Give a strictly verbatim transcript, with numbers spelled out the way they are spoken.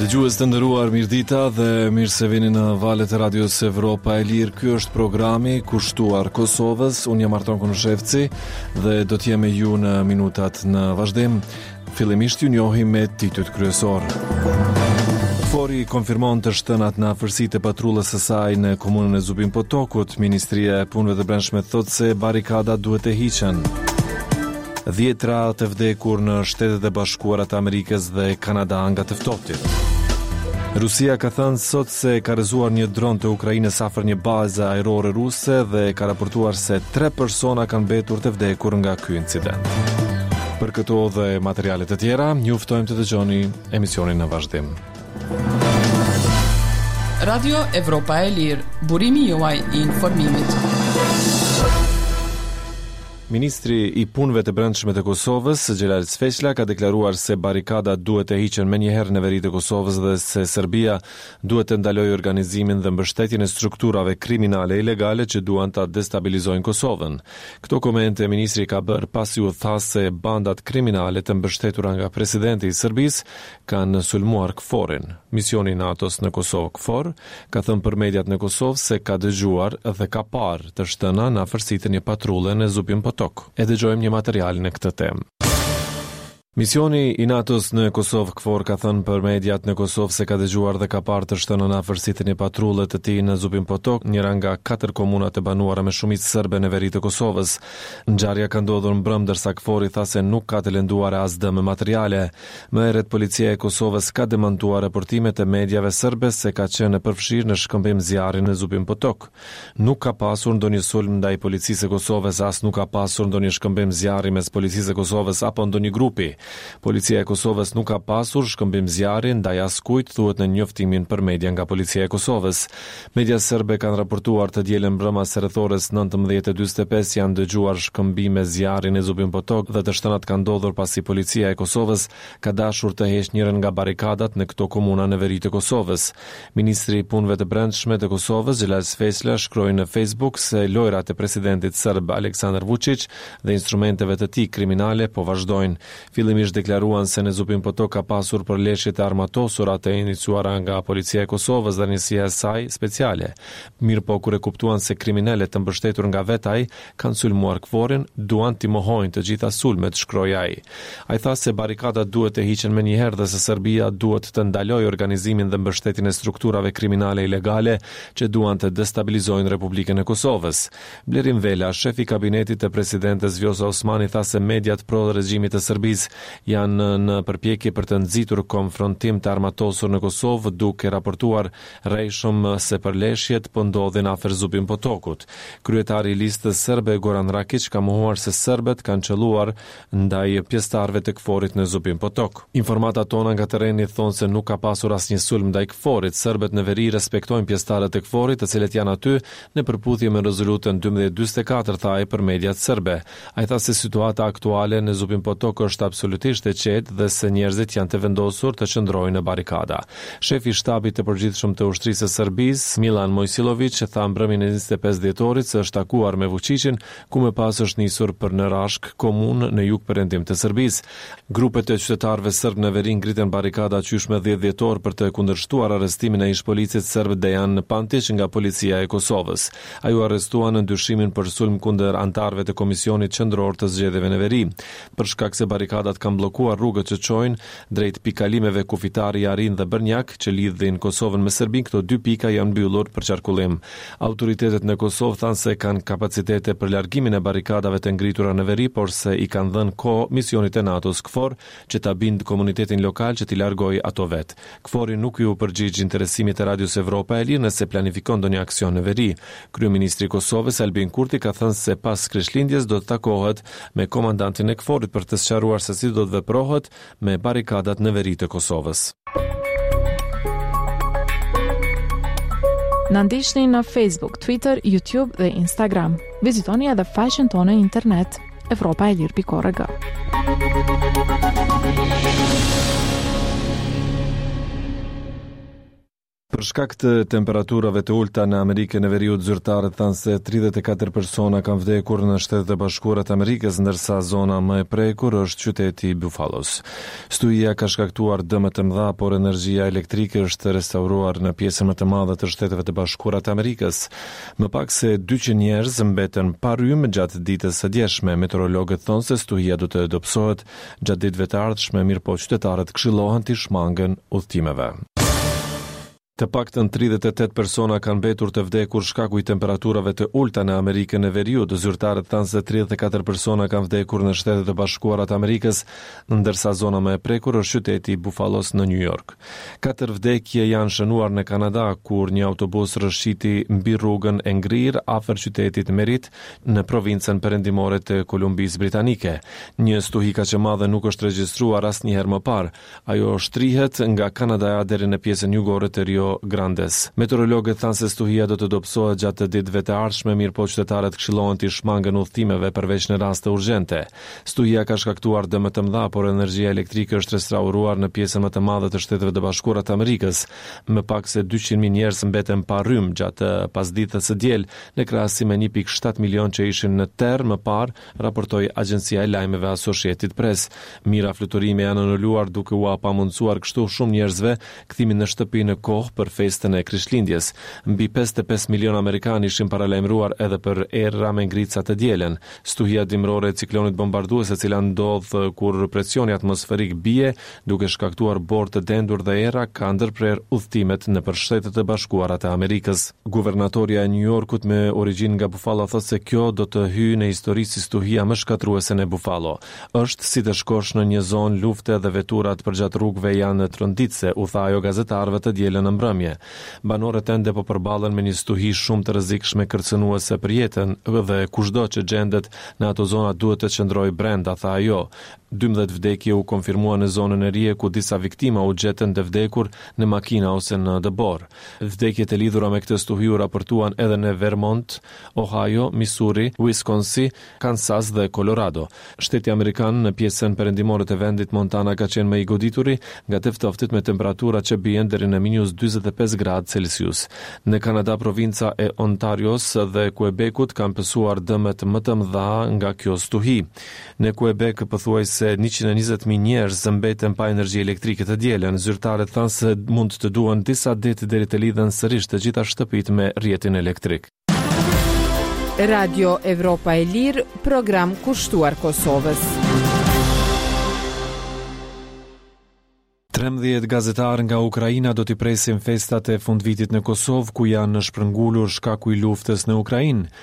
Dëgjues të nderuar, mirëdita dhe mirë se vini në valët e Radios Evropa e Lirë. Ky është programi kushtuar Kosovës. Unë jam Arton Konushevci dhe do të jem me ju në minutat në vazhdim. Fillimisht ju njohim me titujt kryesor. KFOR-i konfirmon të shtënat në afërsi të patrullës së saj në komunën e Zubin Potokut. Ministria e Punëve të Brendshme thotë se barrikadat duhet të hiqen. Dhjetra të vdekur në Shtetet e Bashkuara të Amerikës dhe Kanada nga të ftohtit. Rusia ka thënë sot se ka rrëzuar një dron të Ukrainës afër një baze ajrore ruse dhe ka raportuar se tre persona kanë mbetur të vdekur nga ky incident. Për këto dhe materiale të tjera, ju ftojmë të dëgjoni emisionin në vazhdim. Radio Evropa e Lirë, burimi juaj i informimit. Ministri i Punëve të Brendshme të Kosovës, Xhelal Sveçla, ka deklaruar se barrikadat duhet të hiqen menjëherë në veri të Kosovës dhe se Serbia duhet të ndalojë organizimin dhe mbështetjen e strukturave kriminale ilegale që duan ta destabilizojnë Kosovën. Këto komente ministri ka bërë pasi u tha se bandat kriminale të mbështetura nga presidenti i Serbisë kanë sulmuar KFOR-in. Misioni i NATO-s në Kosovë KFOR ka thënë për mediat në Kosovë se ka dëgjuar dhe ka parë të shtëna në afërsi të një patrulle në Zubin Potok. E dëgjojmë një material në këtë temë. Misioni i NATO-s në Kosovë KFOR ka thënë për mediat në Kosovë se ka dëgjuar dhe ka parë të shtëna në afërsi të një patrulle të tij në Zubin Potok, njëra nga katër komunat e banuara me shumicë serbe në veri të Kosovës. Ngjarja ka ndodhur mbrëmë ndërsa KFOR-i tha se nuk ka të lënduar as dëme materiale. Më herët policia e Kosovës ka demantuar raportimet e mediave serbe se ka qenë e përfshirë në shkëmbim zjarri në Zubin Potok. Nuk ka pasur ndonjë sulm ndaj policisë së Kosovës, as nuk ka pasur ndonjë shkëmbim zjarri mes policisë së Kosovës apo ndonjë grupi. Policia e Kosovës nuk ka pasur shkëmbim zjarri ndaj askujt, thuhet në njoftimin për media nga Policia e Kosovës. Media serbe kanë raportuar të dielën mbrëma se rreth orës nëntëmbëdhjetë e dyzet e pesë janë dëgjuar shkëmbime zjarri në Zubin Potok dhe të shtënat kanë ndodhur pasi Policia e Kosovës ka dashur të heqë njërën nga barrikadat në këto komuna në veri të Kosovës. Ministri i Punëve të Brendshme të Kosovës, Xhelal Sveçla, shkroi në Facebook se lojrat e presidentit serb Aleksandar Vučić dhe instrumenteve të tij kriminale po vazhdojnë. Fillimisht deklaruan se në Zubin Potok ka pasur përleshje të armatosura të iniciuara nga Policia e Kosovës dhe njësia e saj speciale. Mirëpo, kur e kuptuan se kriminalët të mbështetur nga vetë ai kanë sulmuar KFOR-in, duan t'i mohojnë të gjitha sulmet, shkroi ai. Ai tha se barrikadat duhet të hiqen menjëherë dhe se Serbia duhet të ndalojë organizimin dhe mbështetjen e strukturave kriminale ilegale që duan të destabilizojnë Republikën e Kosovës. Blerim Vela, shefi i kabinetit të presidentes Vjosa Osmani, tha se mediat pro regjimit të Serbisë janë në përpjekje për të nxitur konfrontim të armatosur në Kosovë, duke raportuar rrejshëm se përleshjet po ndodhin afër Zubin Potokut. Kryetari i listës serbe Goran Rakić ka mohuar se serbët kanë qelluar ndaj pjesëtarëve të KFOR-it në Zubin Potok. Informatat tona nga terreni thonë se nuk ka pasur asnjë sulm ndaj KFOR-it. Serbët në veri respektojnë pjesëtarët e KFOR-it, të cilët janë aty në përputhje me rezolutën dymbëdhjetë dyzet e katër, tha ai për mediat serbe. Ai tha se situata aktuale në Zubin Potok është absolutisht e qetë dhe se njerëzit janë të vendosur të qëndrojnë në barikada. Shefi i shtabit të përgjithshëm të ushtrisë së Serbisë, Milan Mojsilović, tha mbrëmjen e njëzet e pesë dhjetorit se është takuar me Vučićin, ku më pas është nisur për në Rashk, komunë në jug perëndim të Serbisë. Grupet e qytetarëve serb në veri ngritën barikada qysh me dhjetë dhjetor për të kundërshtuar arrestimin e ish-policit serb Dejan Pantić nga policia e Kosovës. Ai u arrestua në dyshimin për sulm kundër anëtarëve të Komisionit Qendror të Zgjedhjeve në Veri, për shkak se barrikadat kanë bllokuar rrugët që çojnë drejt pikalimeve kufitare Jarin dhe Bërnjak që lidhin Kosovën me Serbinë. Këto dy pika janë mbyllur për qarkullim. Autoritetet në Kosovë thanë se kanë kapacitete për largimin e barrikadave të ngritura në veri, por se i kanë dhënë kohë misionit të NATO-s KFOR që ta bind komunitetin lokal që t'i largojë ato vet. KFOR-i nuk iu përgjigj interesimit të Radios Evropa e Lirë nëse planifikon ndonjë aksion në veri. Kryeministri i Kosovës Albin Kurti ka thënë se pas Krishtlindjes do të takohet me komandantin e KFOR-it për të sqaruar se si do të veprohet me barrikadat në veri të Kosovës. Na ndiqni në Facebook, Twitter, YouTube dhe Instagram. Vizitoni edhe faqen tonë në internet evropa e lirë pikë org. Për shkak të temperaturave të ulta në Amerikën e Veriut, zyrtarët thanë se tridhjetë e katër persona kanë vdekur në Shtetet e Bashkuara të Amerikës, ndërsa zona më e prekur është qyteti i Buffalo's. Stuhia ka shkaktuar dëme të mëdha, por energjia elektrike është restauruar në pjesën më të madhe të Shteteve të Bashkuara të Amerikës. Më pak se dyqind njerëz mbetën pa rrymë gjatë ditës së djeshme. Meteorologët thonë se stuhia do të dobësohet gjatë ditëve të ardhshme, mirëpo qytetarët këshillohen të shmangen udhëtimeve. Të paktën tridhjetë e tetë persona kanë mbetur të vdekur shkaku i temperaturave të ulta në Amerikën e Veriut. Zyrtarët thanë se tridhjetë e katër persona kanë vdekur në Shtetet e Bashkuara të Amerikës, ndërsa zona më e prekur është qyteti i Buffalo's në New York. Katër vdekje janë shënuar në Kanada, kur një autobus rrëshqiti mbi rrugën e ngrirë afër qytetit Merritt në provincën perëndimore të Kolumbisë Britanike. Një stuhi kaq e madhe nuk është regjistruar asnjëherë më parë. Ajo shtrihet nga Kanadaja deri në pjesën jugore të Rio Grandes. Meteorologët thanë se stuhia do të dobësohet gjatë ditëve të ardhshme, mirëpo qytetarët këshillohen të shmangen udhëtimeve përveç në raste urgjente. Stuhia ka shkaktuar dëme të mëdha, por energjia elektrike është restauruar në pjesën më të madhe të Shteteve të Bashkuara të Amerikës. Më pak se dyqind mijë njerëz mbeten pa rrymë gjatë pasdites së diel, në krahasim me një pikë shtatë milion që ishin në terr më parë, raportoi agjencia e lajmeve Associated Press. Mijëra fluturime janë anuluar, duke ua pamundësuar kështu shumë njerëzve kthimin në shtëpi në kohë për festën e Krishtlindjes. Mbi pesëdhjetë e pesë milion amerikanë ishin paralajmëruar edhe për erëra me ngrica të dielën. Stuhia dimrore e ciklonit bombardues, e cila ndodh kur presioni atmosferik bie, duke shkaktuar borë të dendur dhe era, ka ndërprerë udhëtimet nëpër Shtetet e Bashkuara të Amerikës. Guvernatorja e New Yorkut me origjinë nga Buffalo thotë se kjo do të hyjë në histori si stuhia më shkatërruese në Buffalo. "Është si të shkosh në një zonë lufte dhe veturat përgjatë rrugëve janë tronditëse", u tha ajo gazetarëve të dielën në mbrëmje. "Banorët ende po përballen me një stuhi shumë të rrezikshme, kërcënuese për jetën, dhe kushdo që gjendet në ato zona duhet të qëndrojë brenda", tha ajo. dymbëdhjetë vdekje u konfirmuan në zonën e Erie, ku disa viktima u gjetën të vdekur në makina ose në dëborë. Vdekjet e lidhura me këtë stuhi u raportuan edhe në Vermont, Ohio, Missouri, Wisconsin, Kansas dhe Colorado. Shteti amerikan në pjesën perëndimore të vendit, Montana, ka qenë më i godituri nga të ftohtit, me temperatura që bien deri në minus dyzet e pesë gradë Celsius. Në Kanada, provinca e Ontarios dhe Quebecut kanë pësuar dëmet më të mëdha nga kjo stuhi. Në Quebec pothuajse njëqind e njëzet mijë njerëz mbeten pa energji elektrike të dielën. Zyrtarët thanë se mund të duhen disa ditë deri të lidhen sërish të gjitha shtëpitë me rrjetin elektrik. Radio Evropa e Lirë, program kushtuar Kosovës. trembëdhjetë gazetarë nga Ukraina do t'i presin festat e fundvitit në Kosovë, ku janë shpërngulur shkaku i luftës në Ukrainë.